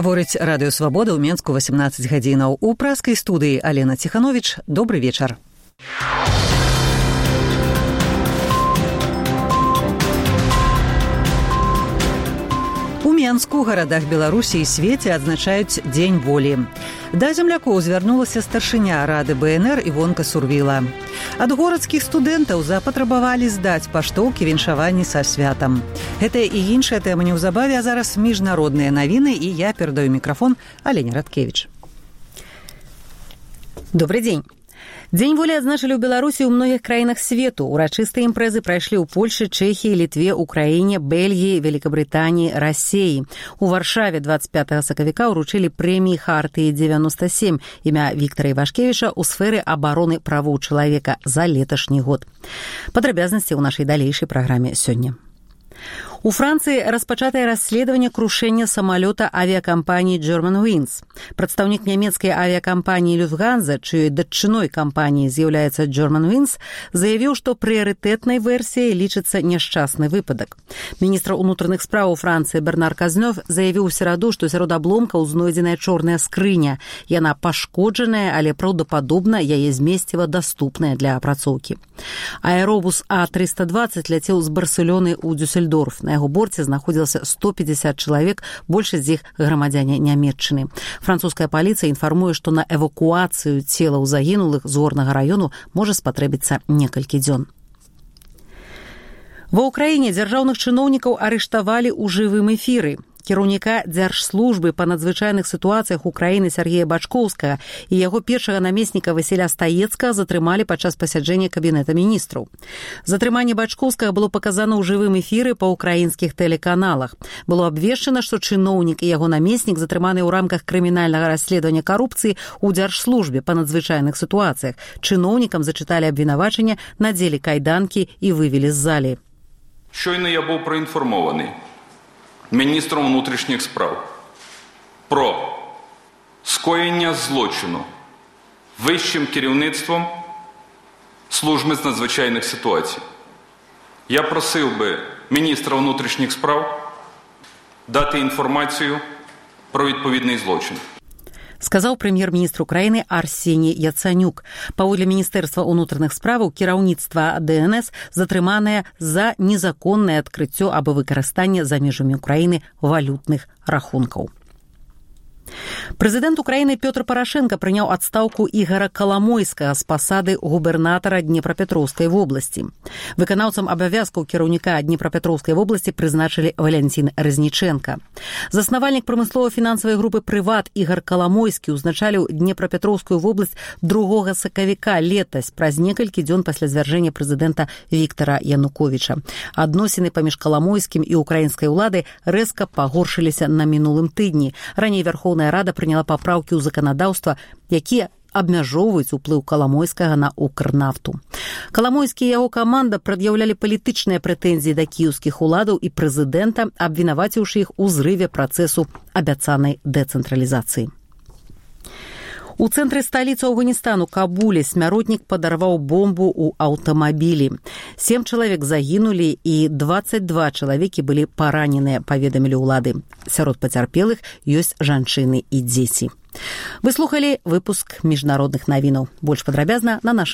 Гаворыць Радыё Свабода ў Менску 18 гадзінаў. У праскай студыі Алена Ціхановіч. Добры вечар. У Менску, гарадах Беларусі і свеце адзначаюць Дзень волі. Да землякоў звярнулася старшыня Рады БНР Івонка Сурвіла. Ад горадскіх студэнтаў запатрабавалі здаць паштоўкі віншаванні са святам. Гэтая і іншая тэма неўзабаве, а зараз міжнародныя навіны, і я перадаю мікрафон Алене Радкевіч. Добрый дзень. Дзень волі адзначылі ў Беларусі ў многіх краінах свету. Урачыстыя імпрэзы прайшлі ў Польшы, Чэхіі, Літве, Украіне, Бельгіі, Великабрытаніі, Расіі. У Варшаве 25 сакавіка ўручылі прэміі Хартыі 97 імя Віктара Івашкевіча ў сферы абароны правоў чалавека за леташні год. Падрабязнасці ў нашай далейшай праграме сёння. У Францыі распачатае расследаванне крушэння самалёта авіякампаніі Germanwings. Прадстаўнік нямецкай авіякампаніі Lufthansa, чыёй датчыной кампаніі з'яўляецца Germanwings, заявіў, што прыярытэтнай версіяй лічыцца няшчасны выпадак. Міністр унутраных спраў Францыі Бернар Казнёв заявіў у сераду, што сярод абломкаў знойдзеная чорная скрыня. Яна пашкоджаная, але праўдападобна яе змесціва даступная для апрацоўкі. Аэробус А320 ляцеў з Барселоны ў Дюссельдорф. На яго борце знаходзілася 150 чалавек, большасць з іх грамадзяне Нямецчыны. Французская паліцыя інфармуе, што на эвакуацыю целаў загінулых з горнага раёну можа спатрэбіцца некалькі дзён. Ва ўкраіне дзяржаўных чыноўнікаў арыштавалі ў жывым эфіры. Кіраўніка дзяржслужбы па надзвычайных сітуацыях Украіны Сергея Бачкоўскага і яго першага намесніка Васіля Стаецкага затрымалі падчас пасяджэння кабінета міністраў. Затрыманне Бачкоўскага было паказана ў жывым эфіры па ўкраінскіх тэлеканалах. Было абвешчана, што чыноўнік і яго намеснік затрыманы ў рамках крымінальнага расследавання карупцыі ў дзяржслужбе па надзвычайных сітуацыях. Чыноўнікам зачыталі абвінавачанне, надзелі кайданкі і вывелі з залі. Щойно я був проінформований міністром внутрішніх справ про скоєння злочину вищим керівництвом служби з надзвичайних ситуацій. Я просив би міністра внутрішніх справ дати інформацію про відповідний злочин. Сказаў прэм'ер-міністр Украіны Арсеній Яцанюк. Паводле Міністэрства ўнутраных справаў кіраўніцтва ДНС затрыманае за незаконнае адкрыццё або выкарыстанне за межамі Украіны валютных рахункаў. Прэзідэнт Украіны Пётр Парашенка прыняў адстаўку Ігара Каламойскага з пасады губернатара Днепрапетроўскай вобласці. Выканаўцам абавязкаў кіраўніка Днепрапетроўскай вобласці прызначылі Валянцін Разніченка. Заснавальнік прамыслова-фінансавай групы «Прыват» Ігар Каламойскі ўзначаліў Днепрапетроўскую вобласць 2 сакавіка летась, праз некалькі дзён пасля звяржэння прэзідэнта Віктара Януковіча. Адносіны паміж Каламойскім і украінскай улады рэзка пагоршыліся на мінулым тыдні. Раней Верховная Рада прыняла папраўкі ў заканадаўства, якія абмяжоўваюць уплыў Каламойскага на Укрнафту. Каламойскі і яго каманда прад'яўлялі палітычныя прэтэнзіі да кіеўскіх уладаў і прэзідэнта, абвінаваціўшы іх у зрыве працэсу абяцанай дэцэнтралізацыі. У цэнтры сталіцы Афганістану Кабуле смяротнік падарваў бомбу ў аўтамабілі. 7 чалавек загінулі і 22 чалавекі былі параненыя, паведамілі ўлады. Сярод пацярпелых ёсць жанчыны і дзеці. Вы слухалі выпуск міжнародных навінаў. Больш падрабязна на нашым